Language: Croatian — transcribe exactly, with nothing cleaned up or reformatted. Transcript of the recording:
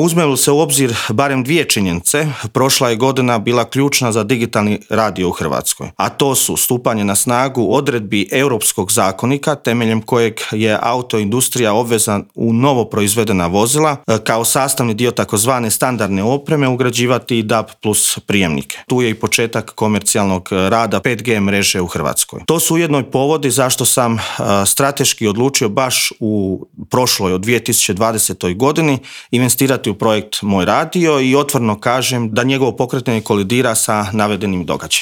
Uzme li se u obzir barem dvije činjenice, prošla je godina bila ključna za digitalni radio u Hrvatskoj, a to su stupanje na snagu odredbi Europskog zakonika temeljem kojeg je autoindustrija obvezna u novo proizvedena vozila kao sastavni dio takozvane standardne opreme ugrađivati i D A B plus prijemnike. Tu je i početak komercijalnog rada pet G mreže u Hrvatskoj. To su ujedno i povodi zašto sam strateški odlučio baš u prošloj od dvije tisuće dvadesetoj godini investirati u projekt Moj radio i otvoreno kažem da njegovo pokretanje kolidira sa navedenim događajem.